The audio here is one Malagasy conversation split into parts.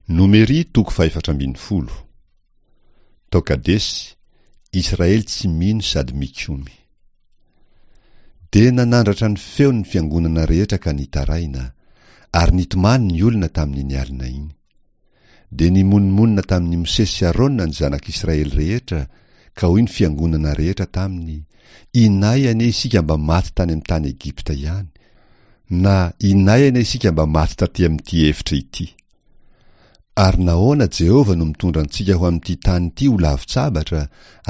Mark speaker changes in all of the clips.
Speaker 1: Nomery toko fahefatra ambin'ny folo. Tao Kadesy, Israely tsy mino sady mikomy. Dia nanandratra ny feony ny fiangonana rehetra ka nitaraina, ary nitomany ny olona tamin'iny alina iny. Dia nimonomonona tamin'i Mosesy sy Arona ny zanak'Israely rehetra, ka hoy ny fiangonana rehetra taminy, Inay anie isika mba maty tany amin'ny tany Egypta ihany, na inay anie isika mba maty taty amin'ity efitra ity. Ary nahoana Jehovah no mitondra antsika ho amin'ity tany ity ho lavon-tsabatra,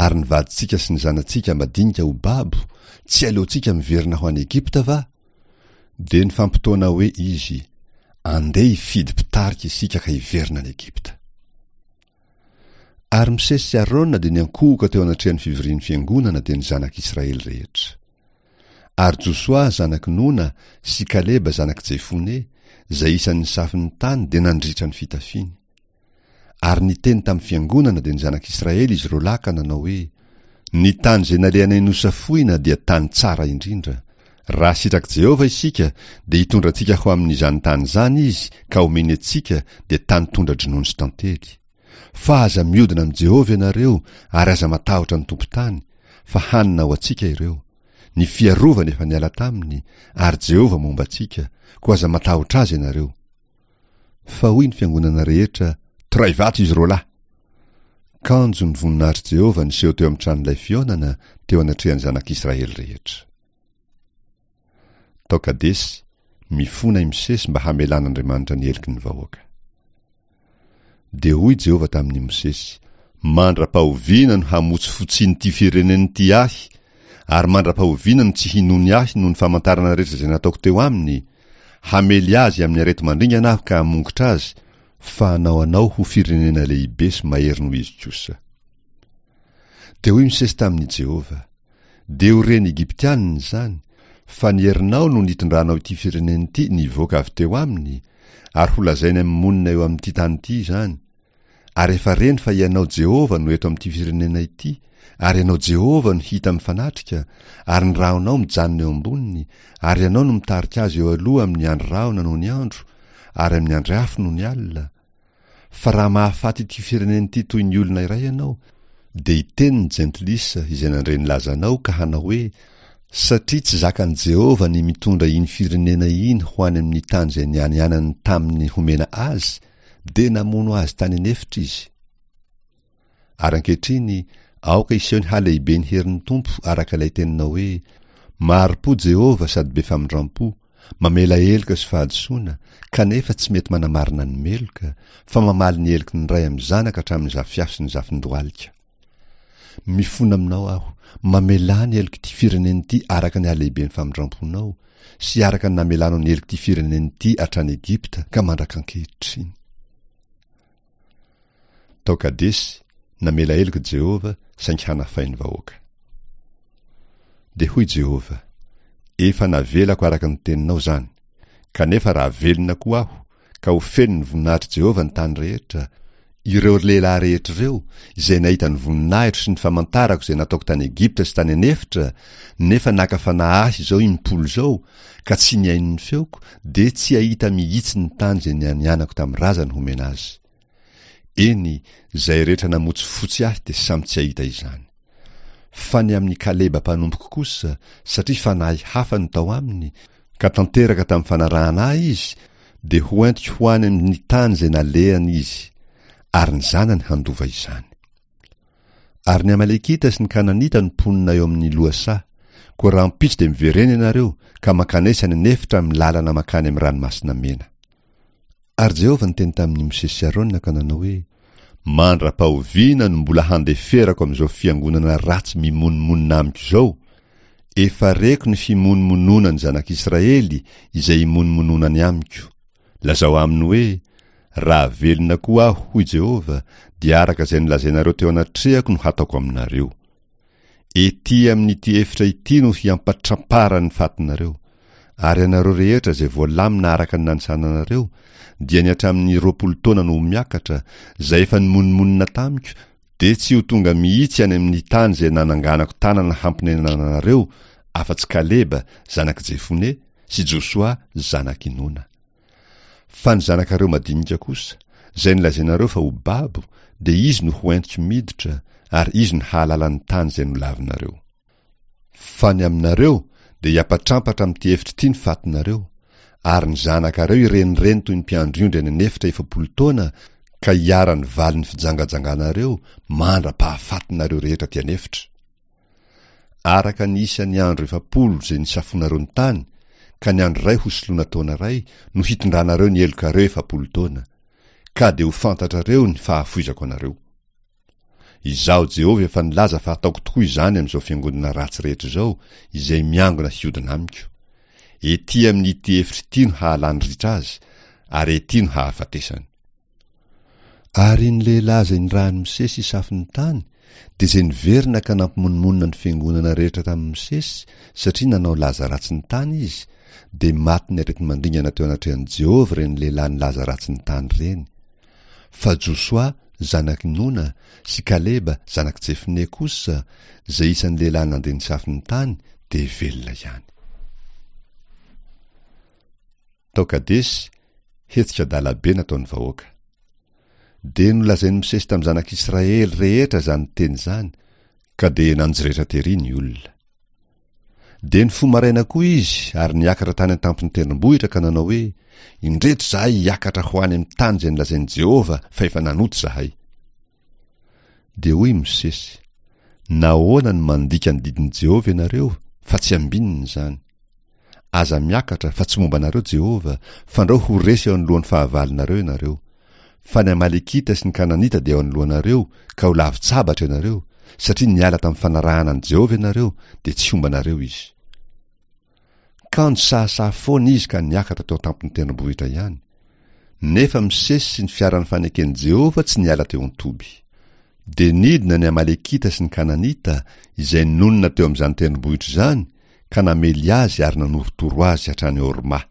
Speaker 1: ary ny vadintsika sy ny zanatsika madinika ho babo, tsy aleontsika miverina ho any Egypta va? Dia nifampitaona hoe izy, Andeha hifidy mpitarika isika ka hiverina any Egypta. Ary Mosesy sy Arona dia niankohoka teo anatrehan'ny fivorian'ny fiangonana dia ny zanak'Israely rehetra. Ary Josoa zanak'i Nona sy Kaleba zanak'i Jefone, izay isan'ny safin'ny tany dia nandritra ny fitafiany. Ary niteny tamin'ny fiangonana dia ny zanak'Israely izy roalahy ka nanao hoe, Ny tany izay nalehanay nosafoina dia tany tsara indrindra. Raha sitrak'i Jehovah isika, dia hitondra antsika ho amin'izany tany izany Izy ka homeny antsika, dia tany tondra-dronono sy tantely. Fa aza miodina amin'i Jehovah ianareo ary aza matahotra ny tompon-tany, fa hanina ho antsika ireo. Ny fiarovany efa niala taminy, ary Jehovah momba antsika, koa aza matahotra azy ianareo. Fa hoy ny fiangonana rehetra, Toray vato izy roalahy! Kanjo ny voninahitr'i Jehovah niseho teo amin'ny tranolay fihaonana, teo anatrehan'ny zanak'Israely rehetra. Tao Kadesy, mifona i Mosesy mba hamelan'Andriamanitra ny heloky ny vahoaka. Dia hoy Jehovah tamin'i Mosesy, Mandra-pahoviana no hamotsifotsian'ity firenena ity ahy, ary mandra-pahoviana no tsy hinoany ahy noho ny famantarana rehetra izay nataoko teo aminy? Hamely azy amin'ny areti-mandringana aho ka hamongotra azy, fa hanao anao ho firenena lehibe sy mahery noho izy kosa. Dia hoy Mosesy tamin'i Jehovah, Dia ho ren'ny Egyptianina izany, fa ny herinao no nitondranao ity firenena ity nivoaka avy teo aminy, ary holazainy amin'ny monina eo amin'ity tany ity izany, Ary efa reny fa Ianao Jehovah no eto amin'ity firenena ity, ary Ianao Jehovah no hita mifanatrika, ary ny rahonao mijanona eo amboniny, ary Ianao no mitarika azy eo aloha amin'ny andry rahona noho ny andro, ary amin'ny andry afo noho ny alina. Fa raha mahafaty ity firenena ity toy ny olona iray Ianao, dia hiteny ny jentilisa izay nandre ny lazanao ka hanao hoe, Satria tsy zakan'i Jehovah ny mitondra iny firenena iny ho any amin'ny tany izay nianianany taminy homena azy, dia namono azy tany an'efitra izy. Ary ankehitriny, aoka hiseho ny halehiben'ny herin'ny Tompo araka ilay teninao hoe, Mahari-po Jehovah sady be famindram-po, mamela heloka sy fahadisoana, kanefa tsy mety manamarina ny meloka, fa mamaly ny heloky ny ray amin'ny zanaka hatramin'ny zafiafy sy ny zafindohalika. Mifona aminao aho, mamelà ny helok'ity firenena ity araka ny halehiben'ny famindram-ponao, sy araka ny namelanao ny helok'ity firenena ity hatrany Egypta ka mandrak'ankehitriny. Tao Kadesy, namela heloka Jehovah, saingy hanafay ny vahoaka. Dia hoy Jehovah, Efa navelako araka ny teninao izany, kanefa raha velona koa aho, ka ho feno ny voninahitr'i Jehovah ny tany rehetra, ireo lehilahy rehetra ireo, izay nahita ny voninahitro sy ny famantarako izay nataoko tany Egypta sy tany an'efitra, nefa naka fanahy ahy izao impolo izao, ka tsy nihaino ny feoko, dia tsy hahita mihitsy ny tany izay nianianako tamin'ny razany homena azy. Eny, izay rehetra namotsifotsy ahy dia samy tsy hahita izany. Fa ny amin'i Kaleba mpanompoko kosa, satria fanahy hafa no tao aminy, ka tanteraka tamin'ny fanarahana ahy izy, dia ho entiko ho any amin'ny tany izay nalehany izy, ary ny zanany handova izany. Ary ny Amalekita sy ny Kananita no mponina eo amin'ny lohasaha, koa rahampitso dia miverena ianareo ka mankanesa any an'efitra amin'ny lalana mankany amin'ny Ranomasina Mena. Ary Jehovah niteny tamin'i Mosesy sy Arona ka nanao hoe, Mandra-pahoviana no mbola handeferako amin'izao fiangonana ratsy mimonomonona amiko izao? Efa reko ny fimonomononan'ny zanak'Israely izay imonomononany amiko. Lazao aminy hoe, Raha velona koa aho, hoy Jehovah, dia araka izay nolazainareo teo anatrehako no hataoko aminareo. Ety amin'ity efitra ity no hiampatramparan'ny fatinareo. Ary ianareo rehetra izay voalamina araka ny nanisana anareo, dia ny hatramin'ny 20 taona no ho miakatra, izay efa nimonomonona tamiko, dia tsy ho tonga mihitsy any amin'ny tany izay nananganako tanana hamponenana anareo, afa-tsy Kaleba, zanak'i Jefone, sy Josoa, zanak'i Nona. Fa ny zanakareo madinika kosa, izay nolazainareo fa ho babo, dia izy no ho entiko miditra, ary izy no hahalala ny tany izay nolavinareo. Fa ny aminareo, dia hiampatrampatra amin'ity efitra ity ny fatinareo, ary ny zanakareo hirenireny toy ny mpiandry ondry any an'efitra 40 taona, ka hiharan'ny valin'ny fijangajanganareo mandra-pahafatinareo rehetra aty an'efitra. Araka ny isan'ny andro 40 izay nisafoanareo ny tany, ka ny andro iray hosoloana taona iray, no hitondranareo ny helokareo 40 taona, ka dia ho fantatrareo ny fahafoizako anareo. Izaho Jehovah efa nilaza fa hataoko tokoa izany amin'izao fiangonana ratsy rehetra izao, izay miangona hiodina amiko. Ety amin'ity efitra ity no hahalany ritra azy, ary ety no hahafatesany. Ary ny lehilahy izay nirahin'i Mosesy hisafo ny tany, dia izay niverina ka nampimonomonona ny fiangonana rehetra tamin'i Mosesy, satria nanao laza ratsy ny tany izy, dia matin'ny areti-mandringana teo anatrehan'i Jehovah ireny lehilahy nilaza ratsy ny tany ireny. Fa Josoa, zanak'i Nona, sy Kaleba, zanak'i Jefone kosa, izay isan'ny lehilahy nandeha nisafo ny tany, dia velona ihany. Tao Kadesy, hetsika adala be nataon'ny vahoaka. Dia nolazain'i Mosesy tamin'ny zanak'Israely rehetra izany teny izany, ka dia nanjoretra tery ny olona. Dia nifoha maraina koa izy ary niakatra tany an-tampon'ny tendrombohitra ka nanao hoe, Indreto izahay hiakatra ho any amin'ny tany izay nolazain'i Jehovah fa efa nanota izahay. Dia hoy i Mosesy, Nahoana no mandika ny didin'i Jehovah ianareo fa tsy ambinina izany? Aza miakatra, fa tsy momba anareo Jehovah, fandrao ho resy eo anoloan'ny fahavalonareo ianareo. Fa ny Amalekita sy ny Kananita dia eo anoloanareo, ka ho lavin-tsabatra ianareo, satria niala tamin'ny fanarahana an'i Jehovah ianareo, dia tsy homba anareo izy. Kanjo sahasaha foana izy ka niakatra teo an-tampon'ny tendrombohitra ihany. Nefa Mosesy sy ny fiaran'ny faneken'i Jehovah tsy niala teo an-toby. Dia nidina ny Amalekita sy ny Kananita, izay nonina teo amin'izany tendrombohitra izany, ka namely azy ary nanorotoro azy hatrany Horma.